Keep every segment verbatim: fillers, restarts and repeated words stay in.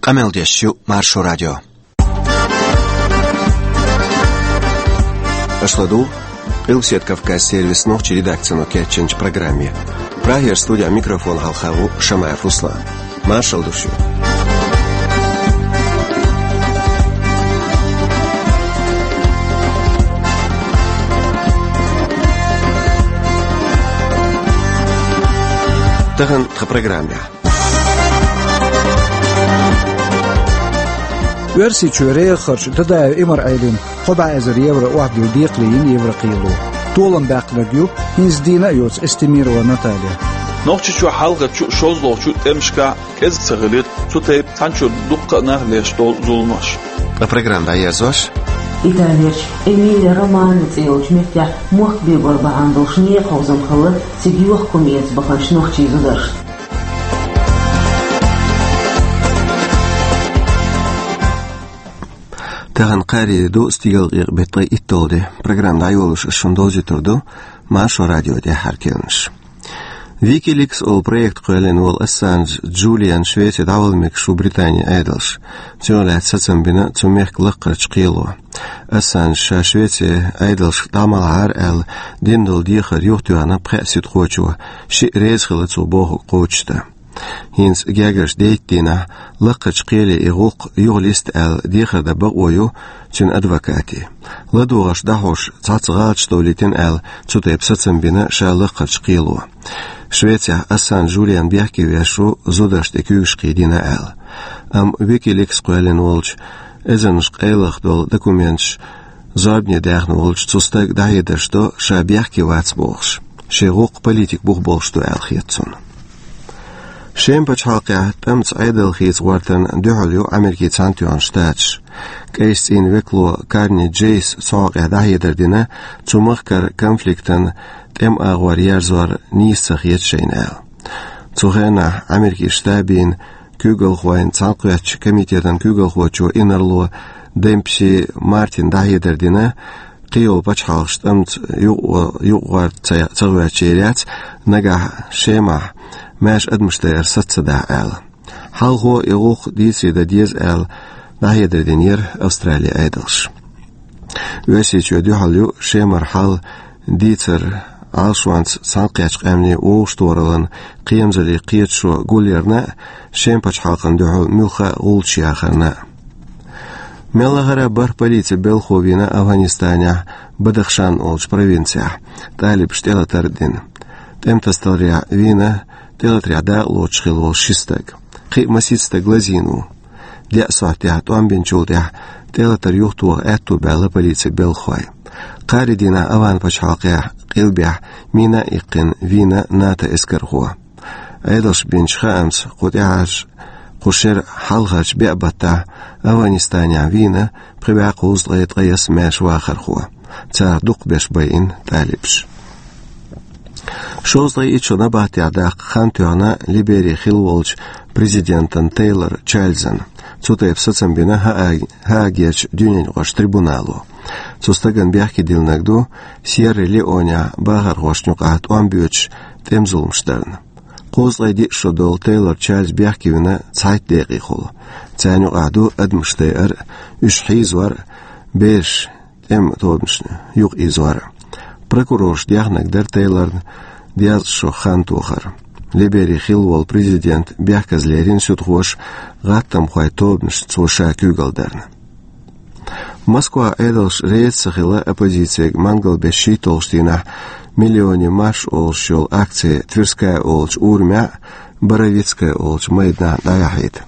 Къамел деш ю Маршо радио. Аша ладугӀу Къилбаседа Кавказ сервисан нохчийн редакцино кечйинчу программе. Прагера студехь микрофон хьалха ву Шамаев Руслан. Маршалла ду шуьга. Тахана тхан программехь. Оьрсийчоь регӀахарчу Дадаев Имар-Ӏелина кхо бӀе эзар евро охьадилла декхаре йина Еврокхело. Толам баьккхинарг ю хӀинца дийна а йоцу Эстемирова Наталья. Нохчийчохь хьалхарчу а, шолгӀачу а тӀемашкахь кӀезиг ца хилира цу тайпа цхьанчуьра дуккха а нах леш долу зуламаш. Ткъа программа дӀаерзош. Италерчу Эмилия Романна цӀе йолчу меттехь мохк бегор бахьана долуш некъаховзам хилла цига йохка хӀума эца баханчу нохчийн зударшна. Тахана кхаарин де ду, стигалкъекъа беттан ткъе итталгӀа де. Программа дӀайолош ас шуна довзуьйтур ду Маршо радион тӀаьххьара керланаш. Wikileaks олу проект кхоьллина волу Ассанж Джулиан Швеци дӀавала мегаш ву Британин Ӏедалша. Цунах лаьцна сацам бина цу мехкан лаккхарчу кхело. Ассанж ша Швецин Ӏедалшка дӀа ма лахьара аьлла дина долу дехар юхатоьхна пхеа суьдхочо, шиъ реза хилла цо бохург кхочушдан. ХӀинца гергарчу дейтта дийнахь лаккхарчу кхеле и гӀуллакх юха листа аьлла дехар дан бакъо ю цуьнан адвокатийн. ЛадогӀарш дӀахьош цхьацца гӀалаташ довлийтина аьлла, цу тайпа сацам бина ша лаккхарчу кхело. Швецехь Ассанж Джулиан бехке веш ву зударшна тӀе куьйгаш кхийдина аьлла. Амма Wikileaks кхоьллина волчу эзарнаш къайлаха долу документаш зорбане даьхна волчу цу стага дӀахьедарш до, ша бехке вац бохуш. Шен гӀуллакх политикан бух болуш ду аьлла хета цунна. Шеман пачхьалкхехь тӀамца Ӏедал хийца гӀортарна дуьхьал ю Америкин Цхьаьнатоьхна Штаташ. КӀайчу цӀийнан векало Карни Джейс цу хьокъехь дӀахьедар дина, цу махкара конфликтан тӀеман агӀор ерзор нийса ца хета шайна аьлла. Цу хенахь Америкин Штабийн куьйгалхойн цхьаьнакхеттачу комитетан куьйгалхочо инарло Демпси Мартина дӀахьедар дина, кхийолу пачхьалкхаш тӀамца юкъа-, юкъагӀорта ца, ца гӀоьртича яц, нагахь Шемахь маьрша адамаш дайар саца ца дахь аьлла. Хьалхо и гӀуллакх дийцаре дан деза аьлла дӀахьедар динера Австралин Ӏедалша. Оьрсийчоь дуьхьал ю Шемара хьал дийцар Ӏалашонца цхьаьнакхеттачу къаьмнийн вовшахтохараллин кхерамзаллин кхеташо гулъярна а, Шеман пачхьалкхана дуьхьал муьлхха а гӀулчаш яхарна а. Мел лахара а бархӀ полицин белхахо вийна Афганистанехь Бадахшан олучу провинцехь, талибаша тӀелатар а дина. ТӀематасадаларехь вийна тӀелатарехь дакъалоцуш хилла волу ши стаг. Кхин а масийтта стаг лазийна ву. Деа сохьтехь тӀом бинчул тӀаьхьа тӀелатар юхатоха аьтто баьлла полицин белхахойн. Кхаарин дийнахь Афган пачхьалкхехь къилбехь мина а иккхина вийна НАТО эскархо. Ӏедалша бинчу хаамца, кху тӀаьхьарчу, кху шеран хьалхарчу беа баттахь Афганистанехь вийна пхи бӀе кхузткъе ткъайесна маьрша вахархо. Царах дукхахберш байина талибаш. Шовзткъе итт шо набахтехь даккха хан тоьхна Либерин хилла волчу президентан Тейлор Чарльзан. Цу тайпа сацам бина ХӀаа-, ХӀаагерчу дуьненаюкъарчу трибунало. Цу стагана бехке диллинарг ду Сьерра-Леонехь бахархошна юкъахь тӀом боьдуш тӀеман зуламаш дарна. Кхузткъе диъ шо долу Тейлор Чарльз бехке вина цхьайтта декъехула. Царна юкъахь ду адамаш дайар а, уьш хьийзор а, бераш тӀеман тобанашна юкъаийзор а. Прокурорша дехнарг дара Тейлорна дезткъа шо хан тохар. Либерин хилла волу президент бехказа лерина суьдхоша гӀаттамхойн тобанашна цо ша куьйгалла дарна. Москвахь Ӏедалша реза ца хилла оппозицега мангал беш шийтталгӀачу дийнахь «Миллионы марш» олуш йолу акци Тверская олучу урамехь а, Боровицкая олучу майданахь а дӀаяхьийта.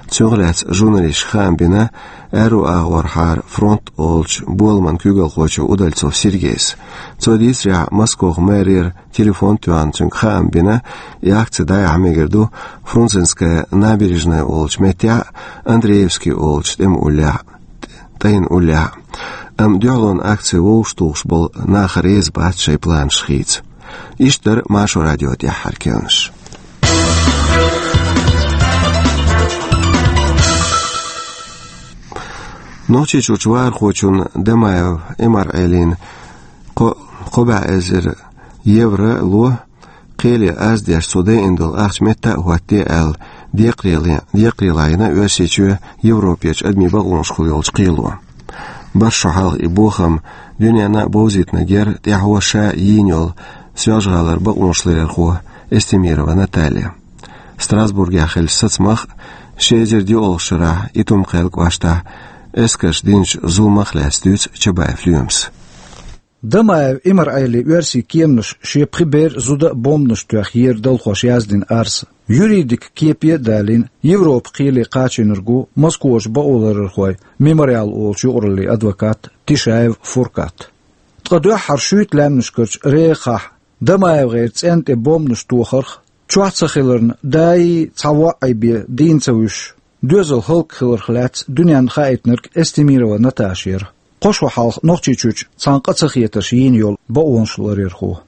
Цунах лаьцна журналисташка хаам бина аьрру агӀорхьара «Фронт» олучу боламан куьйгалхочо Удальцов Сергейс. Цо дийцарехь, Москох мэрера телефон тоьхна цуьнга хаам бина, и акци дӀаяхьа мегар ду Фрунзенская набережная олучу меттехь а, Андреевский олучу тӀеман уллехь а, тӀайна уллехь а. Амма дуьхьалонан акци вовшахтухуш болу нах реза бац шайн планаш хийца. Иштта дара Маршо радион тӀаьххьара керланаш. Нохчийчуьрчу вахархочунна Дамаев Имар-Ӏелина кхо-, кхо бӀе эзар евро ло, кхеле аз деш цо дайина долу ахча метта а хӀоттаде аьлла, Декъаралла, декъаралла йина Оьрсийчоь Европерчу адамийн бакъонашкахула йолчу кхело. БархӀ шо хьалха и бохам дуьненна а бовзийтинарг яра тӀаьхьо ша йийна йолу Соьлжа-ГӀалара бакъонашларъярхо Эстемирова Наталья. Страсбургехь хиллачу сацамах а, ши эзар диъалгӀачу шарахь Итум-Кхаьллан кӀоштахь эскарша динчу зуламах а лаьцна дуьйцу Чабаев Лоьмас. Дамаев Имар-Ӏелин оьрсийн кеманаш шен пхи бер а, зуда а бомбанаш тоьхна ера далхоша яздина арз. Юридикан кепе а далийна, Европан кхеле кхачийнарг ву Москварчу бакъоларъярхойн Мемориал олучу юкъараллин адвокат Тишаев Фуркат. Ткъа дуьххьара шуьйта лаьмнашкарчу рехахь ДамаевгӀеран цӀенна тӀе бомбанаш тохарх, чохь ца хиларна, даи цхьа воӀи бен дийна ца вуьсуш, доьзал хӀаллакьхиларх лаьцна дуьненна хаийтинарг Эстемирова Наташа яра, кхо шо хьалха Нохчийчуьрчу цхьана къа ца хетарш йийна йолу бакъонашларъярхо.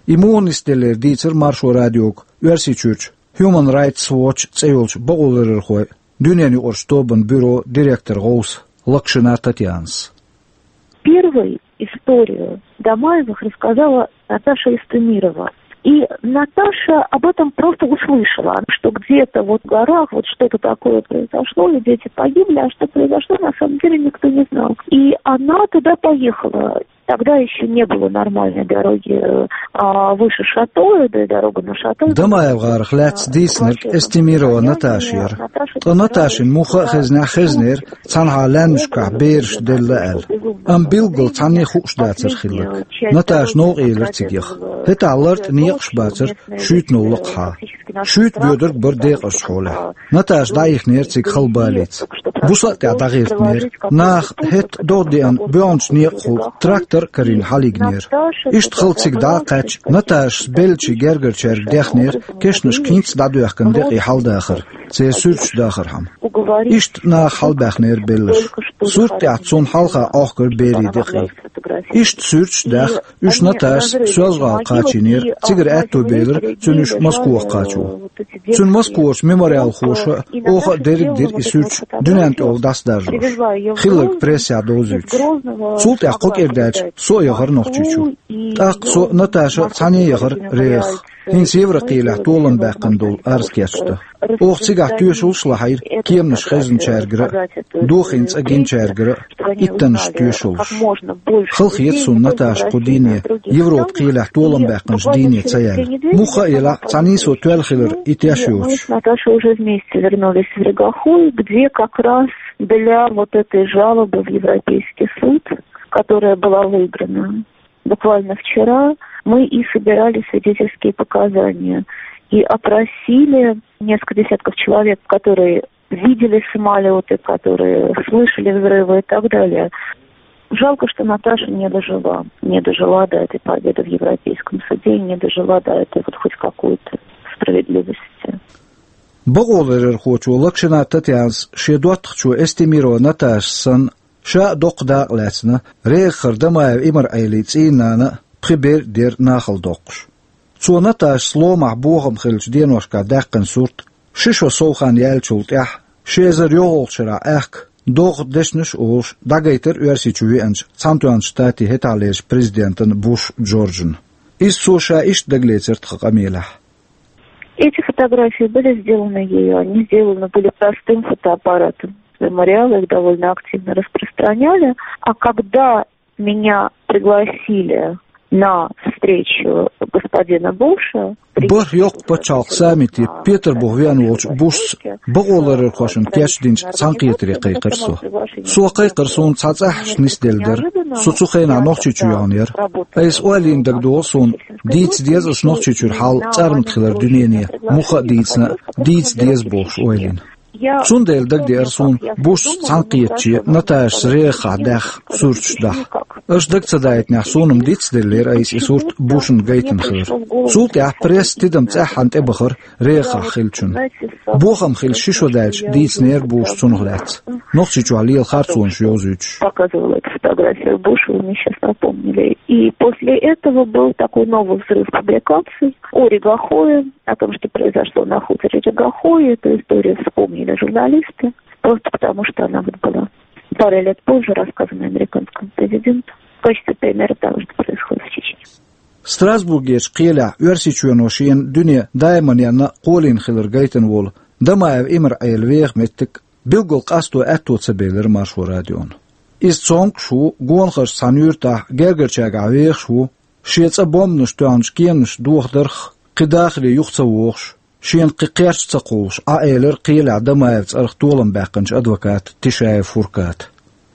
И муха нисделлера дийцира Маршо радиога Оьрсийчуьрчу Human Rights Watch цӀе йолчу бакъоларъярхойн дуьненаюкъарчу тобанан бюрон директор гӀовса Локшина Татьянас. Первой историю Дамаевых рассказала Наташа Эстемирова. И Наташа об этом просто услышала, что где-то вот в горах вот что-то такое произошло, и дети погибли, а что произошло, на самом деле никто не знал. И она туда поехала. Тогда ещё не было нормальной дороги, а, выше Шатоя, да и дорога на Шато. ДамаевгӀарах лаьцна дийцинарг Эстемирова Наташа яра. Ткъа Наташина муха а хезнехь, хезнера цхьанхьа лаьмнашкахь бераш делла аьлла. Амма билггал цхьанне а хууш дацара хилларг. Наташа новкъа елира цига яха. ХӀетахь лартӀа некъаш бацара шуьйтанал лакхахьа. Шуьйта боьдург бара декъазчу хьолехь. Наташа дӀаихнера цига хала балица. Буса а тӀехь дӀагӀиртинера. Наха хӀетта догӀа деана боьхначу некъахула трактор а карийна хьалайигнера. Иштта хала цига дӀа а кхаьчча, Наташас беллачийн гергарчаьрга дехнера кешнашка хӀинцца дӀадоьхкина декъий хьаладахар, церан суьрташ дахархьама. Иштта наха хьалабаьхнера белларш. Сурт тӀехь цунна хьалха Ӏохкура берийн декъий. Иштта суьрташ а даьхна, уьш Наташас Соьлжа-ГӀала кхачийнера, цигара аьтто белира цуьнан уьш Москвахь кхачо. Цуьнан москварчу мемориалхоша а, оха а дерриг а дира и суьрташ дуьненна тӀехула дӀасадаржош, хилларг прессехь довзуьйтуш. Цул тӀаьхьа кхо кӀира даьлча, со а яхара Нохчийчу. ТӀаккха со а, Наташа а цхьаьна яхара рехах, хӀинца Еврокхелехь толам баьккхина долу арз кечдан. Оха цигахь тоьшаллаш а лахьийра кеманаш хезначаьргара а, дохийна цӀа гиначаьргара а, иттаннаш тоьшаллаш. Хала хета суна Наташа кху дийне Европа-кхелехь толам баьккхинчу дийне ца яьлла. Муха а елахь, цхьа нийсо тоьлла хилар и теш йоцуш. Наташа уже вместе вернулись в Регохой, где как раз для вот этой жалобы в Европейский суд, которая была выиграна буквально вчера, мы и собирали свидетельские показания и опросили несколько десятков человек, которые видели самолёты, которые слышали взрывы и так далее. Жалко, что Наташа не дожила, не дожила до этой победы в Европейском суде и не дожила до этой вот хоть какой-то справедливости. Бакъоларъярхочо Локшина Татьянас шен доттагӀчо Эстемирова Наташа санна, ша а доккха дакъа лаьцна, рехахара Дамаев Имар-Ӏелин цӀийнан нана а, пхи бер а дера нахала доккхуш. Цо Наташас ломахь бохам хиллачу деношкахь даьккхина сурт, ши шо сов хан яьллачул тӀаьхьа, ши эзар йоьалгӀачу шарахь аьхка, догӀа дешнаш а олуш, дӀагайтира Оьрсийчу веанчу Цхьаьнатоьхначу Штатийн хӀетахьлерчу президентана Буш Джорджана. Иза цо ша иштта дагалецира тхан къамелехь. Эти фотографии были сделаны ею, они сделаны были простым фотоаппаратом. Мемориалы их довольно активно распространяли. А когда меня пригласили на встречу господина Буша, БархӀ-Йоккха пачхьалкхан саммите Петарбухе веана волчу Бушца бакъоларъярхошна кечдинчу цхьаьнакхетаре кхайкхира со. Со кхайкхар суна цхьа цӀахь нисделла дара. Со цу хенахь Нохчийчу йогӀун яра. Айса ойла йина дагадогӀу суна, дийца деза аса Нохчийчуьра хьал цӀармат хилар дуьнене, муха а дийцина а, дийца деза бохуш ойла йина. Цундела дагадеара суна Бушца цхьаьнакхетаче Наташас рехахь даьхна сурташ дахьа. Аша дага ца даийтинехь, суна-м дицделлера айса и сурт Бушна гайтина хилар. Цул тӀаьхьа пресса тидам цӀеххьана тӀебахара рехахь хиллачунна. Бохам хилла ши шо даьлча дийцинера Буша цунах лаьцна, Нохчийчохь лела харцонаш йовзуьйтуш. Показывала эту фотографию Бушу, и мы сейчас напомнили. И после этого был такой новый взрыв публикаций о Регохое, о том, что произошло на хуторе Регохое. Эту историю вспомнили журналисты, просто потому что она вот была пару лет позже рассказана американскому президенту в качестве примера того, что происходит в Чечне. Страсбургерчу кхелехь Оьрсийчоьно шена дуьне даиманна кхоллина хилар гайтина волу Дамаев Имра Ӏела веха меттиг билггал къасто аьтто ца белира Маршо радиона. Иза цомгаш ву, гонахарчу цхьана юьртахь гергарчаьргахь вехаш ву, шен цӀа бомбанаш тоьхначу кеманаш дохадарх кхин дахаре юха ца вохуш, шена кхин кхерч ца кхуллуш, Ӏа элира кхелехь Дамаевн цӀарах толам баьккхинчу адвоката Тишаев Фурката.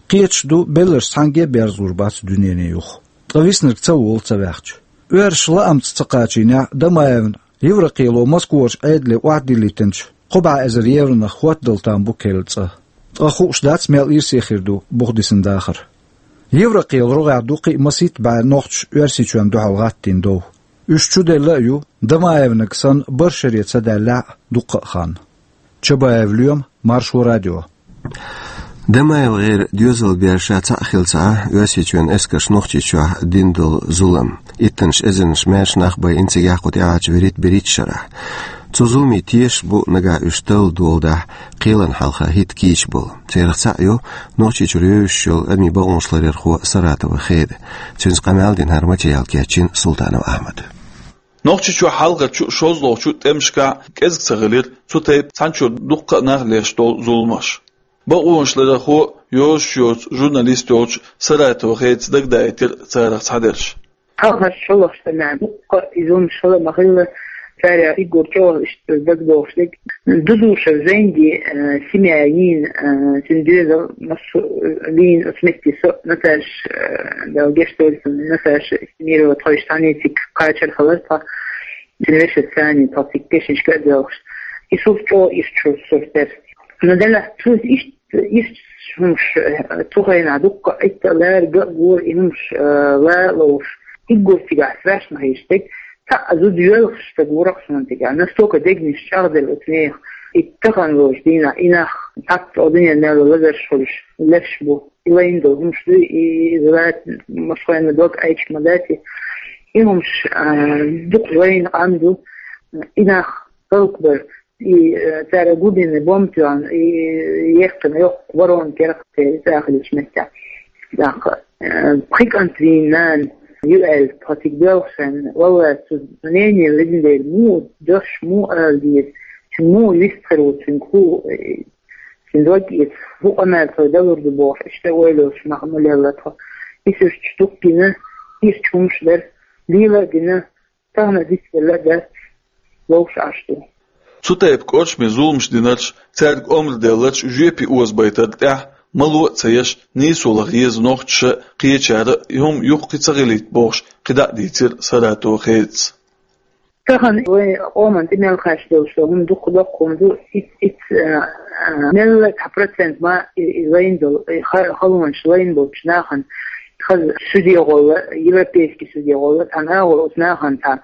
Кхеташ ду, белларш цхьаьнгге а берзалур бац дуьнене юха. Ткъа виснарг ца волу ца ваьхча. Оьрсаша лаамца ца кхачийнехь, Дамаевна Еврокхело Москварчу Ӏедале охьадиллийтинчу кхо бӀе эзар евронах хӀоттадала там бу керла цӀа. Ткъа хууш дац, мел ирсе хир ду буха дисина дахар. Еврокхелан рогӀехь ду кхин а масийтта бӀе нохчаша Оьрсийчоьнна дуьхьал гӀаттийна дов. Уьш чуделла а ю, Дамаевнаг санна, барх шаре ца даьллехь а дуккха а хан. Чабаев Лоьма, Маршо радио. Дамаевгара доьзалан бер ша цхьаъ хилла ца Ӏа, Оьрсийчоьнан эскарша Нохчийчохь дина долу зулам, иттаннаш эзарнаш маьрша нах байина цигахь кху тӀаьхьарчу вуьрхӀитта берхӀитта шарахь. Цу зуламе тешаш бу нагахь уьш талла доладахь, кхелана хьалха хӀитта кийча болу. Царах цхьаъ ю Нохчийчуьра евзаш йолу адамийн бакъонаш ларъярхо Саратова Хеда. Цуьнца къамел дина хӀара материал кечйина Султанов Ахьмада. Нохчийчохь хьалхарчу, шолгӀачу тӀемашкахь кӀезиг ца хилира цу тайпа цхьанчуьра дуккха а нах леш долу зуламаш. Бакъонаш ларъярхо, йозуш йоцу журналист йолчу Саратова Хедас дагадаийтира царах цхьадерш. Хьалхарчу, шолгӀачу тӀемехь дуккха а и зуламаш хилла ма-хилла, царах уггар чӀогӀа иштта дагадогӀуш дерг. Дудушев Зайнди, э, семья йийна, э, цуьнан доьзал массо а вийна оцу метте, со а, Наташа, э, Дала гечдойла цунна, Наташа Эстемирова, тхойша цхьаьнциг кхачар хилар тхо. Цуьнан вешица цхьаьна тхо цига кешнашка а доьлхуш. И сурт чӀогӀа ирча сурт дара. Но делахь цуьнца иштта, иштта хӀумаш, э, цу хенахь дуккха а Ӏитта а лара, ган а гора и хӀумаш, э, ла а ловш. Уггар цигахь страшно хезаш дерг, цхьа а зуда йоьлхуш стаг вура-кх суна цигахь. Настолько дегнаш чӀагӀделла оцу нехан. И тахана лоцу дийнахь и нах цхьацца оцу дуьненан мел лазарш хуьлуш леш бу. И лайна долу хӀумаш дуй, и, и зулат машхойна дог айча ма дац и. И хӀумаш, а, дукха лайна къам ду, и нах халкъ бар, и, а, цара губина бомба тоьхна, и, и ехкина йоккха ворона керахь церан цӀа хилча меттехь. ТӀаккха, а, пхи кӀант вийна нана ю аьлла, тхо цига доьлхуш санна, валлахӀи, цу мнение ледина дела, муха дош, муха ала деза, цуьнан муха вист хир ву, цуьнга хӀу, э, Цуьнан дог эца, хӀу къамел тхо далур ду бохуш, иштта ойланаш мах ма лелла тхо. Исуьрчу дуккхина, ирча хӀумаш дара, лела а дина, тахана а дицделла а дац, ловш Ӏаш ду. Цу тайпа кӀоршаме зуламаш динарш, цаьрга омра делларш жоьпе озабайтарна тӀехь, мало а ца еш, нийсо лаха еза нохчаша а, кхечара а и хӀума юххе ца хилийта бохуш, кхидӀа а дийцира Саратова Хедас. Тахана вайн къоман тӀе мел кхаьчна долуш долу хӀума дукха доккха хӀума ду, ит, ит, а, а, мелла цхьа процент ма и, и лайна долу, и ха-, халонаш лайна болчу нахана хаза суьде гӀолла, европейский суьде гӀолла, цхьана агӀор оцу нахана цхьа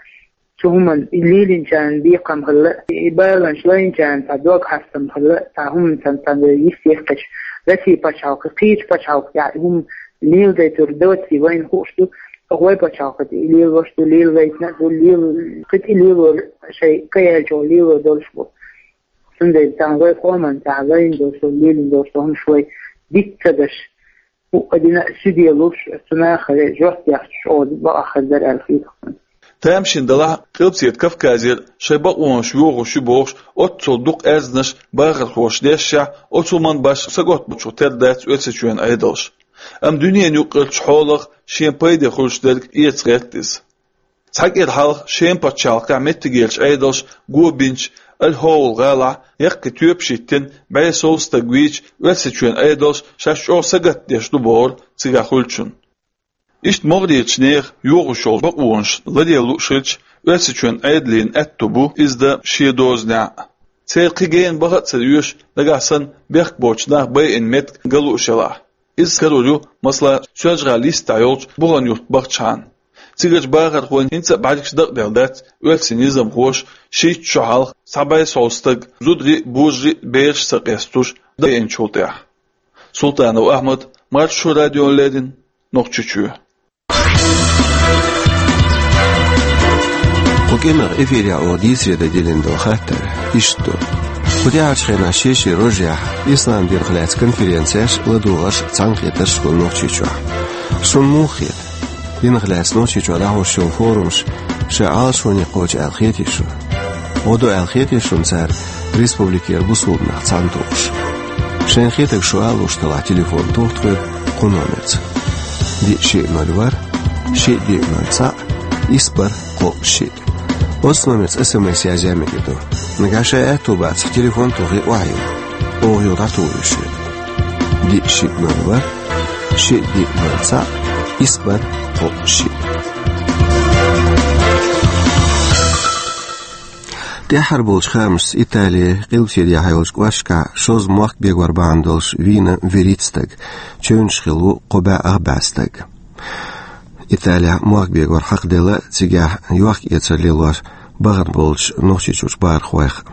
цу хӀуманна и лелийначарна бекхам хилла, и баланаш лайначарна цхьа дог хьастам хилла, цхьа хӀуманна цхьана, цхьана йист яьккхича, Россия пачхьалкхе, кхечу пачхьалкхехь и хӀума леладайтур доций вайна хууш ду, вай пачхьалкхе и лелош ду, лелавайтина а ду, лела-, кхин тӀе лелор шайн каяьллачух лело долуш бу. Цундела цхьана вай къоман тӀехь лайна долуш, лелийна долуш хӀумаш вай диц ца даш, хӀуъа дина а суьде луш, цу нахе жоп дехча, чӀогӀа бакъахь хир дара аьлла хета хьуна. Тамашийна делахь а, Къилбаседа Кавказера шайн бакъонаш йохош ю бохуш, оццул дукха аьрзнаш бахархоша дешшехь, оцу хӀуманна башха сагатбучух тера дац Оьрсийчоьнан Ӏедалш. Амма дуьненан юккъерчу хьолах шен пайде хуьлуш дерг эца гӀерта иза. Цхьа кӀира хьалха шен пачхьалкхехь меттигерчу Ӏедалша го бинчу Аль-Хьовл гӀалахь яккхий тоьпаш йиттина, бӀе сов стаг вийча, Оьрсийчоьнан Ӏедалш шаьш чӀогӀа сагатдеш ду бохура цигахь хуьлучунна. Иштта могӀарерчу нехан йохош йолу бакъонаш ладелла лууш хилча, Оьрсийчоьнан Ӏедалан аьтто бу иза дан шен дозанехь а. Церан кхин гена баха а ца оьшу, нагахь санна бехк боцчу нах байина меттиг ган лууш елахь. Иза карор ю, масала, Соьлжа-ГӀалин йистехь йолчу Бухан-Юрт бахчахьана. Цигарчу бахархойн хӀинца а бӀаьргаш дакъаделла дац оьрсийн низамхоша шийтта шо хьалха цхьа бӀе сов стаг, зударий а, божарий а, бераш а ца къестуш, дӀабайинчул тӀаьхьа. Султанов Ахьмад, Маршо радиона леррина, Нохчийчоь. Кху кӀиранах эфирехь оха дийцаре дан диллина долу хаттар иштта ду. Кху тӀаьхьарчу хенахь шен-шен рожехь ислам динах лаьцна конференцеш а, ладогӀарш а, цхьаьнакхетарш а хуьлу Нохчийчохь. Шуна муха хета? Динах лаьцна Нохчийчохь дӀахьош йолу форумаш шайн Ӏалашоне кхочу аьлла хетий шуна? ГӀо ду аьлла хетий шуна цара республикера бусалба нах цхьаьна тухуш. Шайн хетарг шу алуш талахь, телефон тоха тхоьга кху номерца: диъ шиъ ноль ворхӀ, шиъ диъ ноль цхьаъ, исс бархӀ кхоъ шиъ. Оцу номерца СМС язъян мегар ду. Нагахь шайн аьтту бацахь, телефон тохий, охьайилла. Оха юха дӀатухур ю шуьга. Диъ шиъ ноль ворхӀ, шиъ диъ ноль цхьаъ, исс бархӀ кхоъ шиъ. ТӀаьххьара болчу хаамашца, Италин къилбаседехьа йолчу кӀошташкахь шозза мохк бегор бахьана долуш вийна вуьрхӀитта стаг, чевнаш хилла ву кхо бӀе ах бӀе стаг. Италехь мохк бегор хьакхаделла, цигахь йохк-эцар лелош бахана болчу Нохчийчуьрчу бахархойх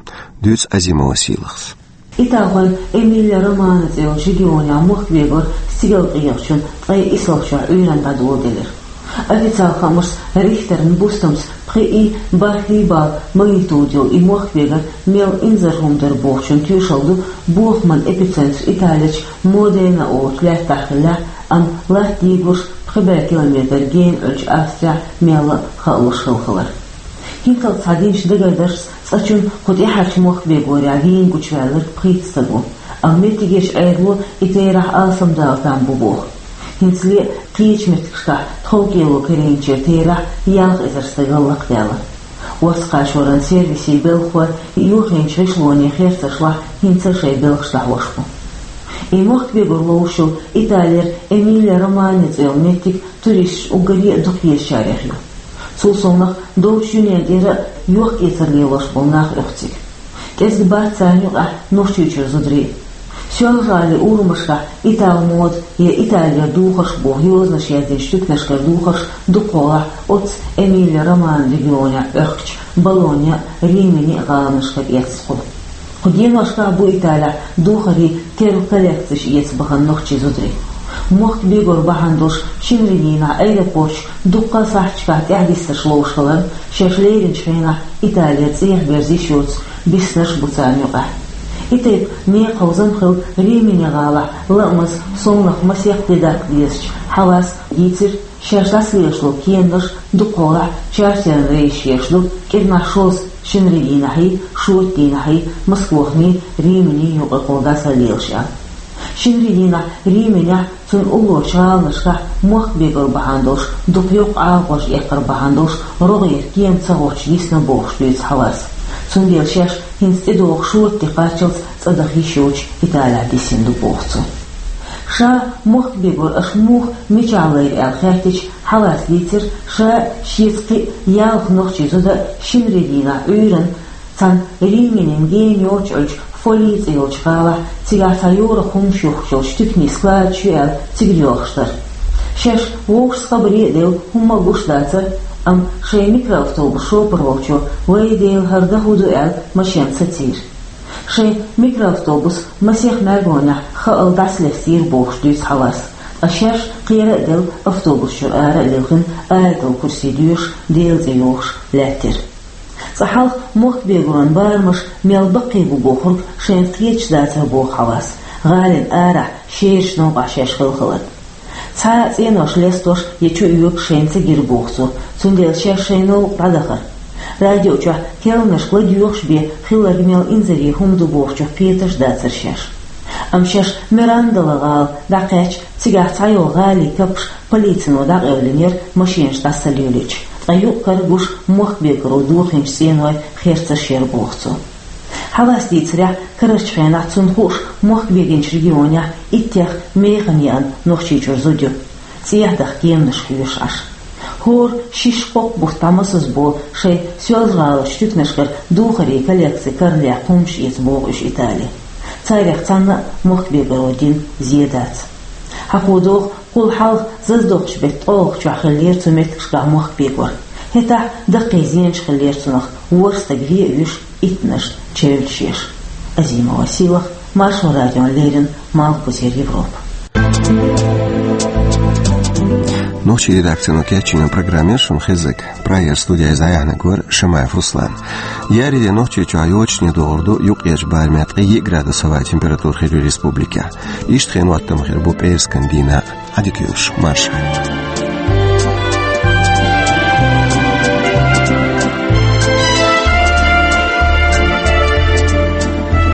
дуьйцу Азимова Сийлахьас. Италхойн Эмилия-Романья цӀе йолчу регионехь мохк бегор стигалкъегӀачун ткъе исалгӀачохь Ӏуьйранна дӀадоладелира. Официалан хаамашца, Рихтеран бустамца пхиъ и бархӀ и балл магнитуда йолу и мохк бегар мел инзаре хӀума дара бохучун тоьшалла ду бохаман эпицентр Италерчу Модена олучу лаьттахь хиллехь, амма латта дийгурш пхи бӀе километр гена Ӏуьллучу Австрехь мелла а хаалуш хилла хилар. ХӀинцалц схьадинчу дагардаршца, цкъачунна кху тӀаьхьарчу мохк бегорехь вийна гучуваьлларг пхийтта стаг ву, амма меттигерчу Ӏедало и терахь алсамдала там бу боху. ХӀинцале а кхечу меттигашкахь тховкӀело карийначеран терахь ялх эзар стагал лакхадаьлла. Орца-кхачоран сервисийн белхахой юххенчу гӀишлонийн херцаршлахь хӀинца а шайн белхаш дӀахьош бу. И мохк бегор ловзуш йолу Италера Эмилия-Романья цӀе йолу меттиг туристаш уггаре а дукхаезачарех ю. Цул совнаха долчу дуьненна тӀера а йохк-эцар лелош болу нах оьху цига. КӀезиг бац царна юкъахь Нохчийчуьра зударий. Соьлжа-ГӀалин урамашкахь италан мода я Италера духарш боху йозанаш яздинчу туьканашкара духарш дукхахьолахь оццу Эмилия-Романья регионехь Ӏохкучу Болонья а, Римини а гӀаланашкара эцна. Кху деношкахь бу Италехь духарийн терра коллекцеш эца бахана нохчийн зударий. Мохк бегор бахьана долуш шинарин дийнахь аэропорташка дуккха а сахьташкахь тӀаьхьадиссарш ловш хиларна, шаьш леринчу хенахь Италера цӀехьа берза йиш йоцу биснарш а бу царна юкъахь. И тайпа некъаховзам хилла Римини гӀалахь лаамаза, совнаха масех де даккха дезачу Хьавас дийцира, шаьш дӀасалелаш долу кеманаш дукхахьолахь чартеран рейсаш еш ду, кӀирнахь шозза шинарин дийнахьий, шоьтан дийнахьий Москвахний, Римини юкъаралла дӀасалелаш аьлла. Шинарин дийнахь Риминехь, цунна уллорчу гӀаланашкахь мохк бегор бахьана долуш дукха йоккха Ӏалашонаш эккхар бахьана долуш рогӀера кема ца гӀоттуш дисна бохуш дуьйцу Хьавас. Цундела шаьш хӀинца тӀедогӀу шоьтан де кхаччалц цӀа даха йиш йоцуш Италехь дисина ду боху цо. Ша мохк бегор аша муха, мичахь лайра аьлла хаьттича, Хьавас дийцира, ша, шеца кхин а ялх нохчийн зуда шинарин дийнахь Ӏуьйранна цхьана Риминин гена йоцуш Ӏуьллучу Фолий цӀе йолчу гӀалахь, цигахь цхьа йорах хӀуманаш юхкуш йолчу туьканийн складаш ю аьлла, цига йоьлхуш дара. Шаьш вовшашца хабаре а делла, хӀумма а гуш дацара, амма шайн микроавтобус шопар волчо, вай Дела, хӀара дан хӀун ду аьлла, машен ца цийра. Шайн микроавтобус масех мӀаьргонехь хаалла дӀасалестийра бохуш дуьйцу Хьавас, ткъа шаьш кхера а делла, автобус чуьра ара а лилхина, Аятал-Курси доьшуш, Делан цӀе йохуш лаьттира. Цкъа хьалха мохк бегоран барамаш мел баккхий бу бохург шайна кхеташ дацара боху Хьавас, гӀалина арахь шерачу новкъахь шаьш хилла хиларна. Цхьа а цӀенош лестош я чу оьгуш шайна ца гира боху цо, цундела шаьш шайн новкъа дӀадахара. Радио чохь керланашка ладоьгӀуш бен хилларг мел инзаре хӀума ду бохучух кхеташ дацара шаьш. Амма шаьш Мирандала гӀала дӀакхаьчча, цигахь цхьайолу гӀалин капаш полицино дӀакъевлинера машенаш дӀасалелийча, ткъа юкъ-кара гуш мохк бегоро дохийначу цӀенойн херцарш яра боху цо. Хьавас дийцарехь, карарчу хенахь цунна хууш мохк бегинчу регионехь иттех механа еана Нохчийчуьра зуда ю, цӀехьа даха кеманаш хьоьшуш Ӏаш. ХӀора шишша кхоккха бутт дӀамасаза болу шайн Соьлжа-ГӀаларчу туьканашкара духарийн коллекци карна лаьцна хӀуманаш эца боху уьш Итали. Царех цхьанна а мохк бегоро дина зен дац. Хьан кху догӀу, кхул хьалха зазадоккхучу беттан ткъолгӀачохь хиллера цу меттигашкахь мохк бегор. ХӀетахь даккхий зенаш хиллера цунах, ворхӀ стаг вен а вуьйш, иттаннаш чевллаш еш. Азимова Сийлахь, Маршо радиона леррина, Малхбузера Европа. Нохчийн редакцино кечйина программа яра шуна хезнарг. Прагера студехь иза дӀаяьхьнарг вара Шамаев Руслан. Еарин де Нохчийчохь йочане догӀур ду, юккъерчу барамехь ткъе йиъ градус хӀаваан температура хир ю республикехь. Иштта хенан хӀоттам хир бу пӀераскан дийнахь а. Ӏадика йойла шун, марша.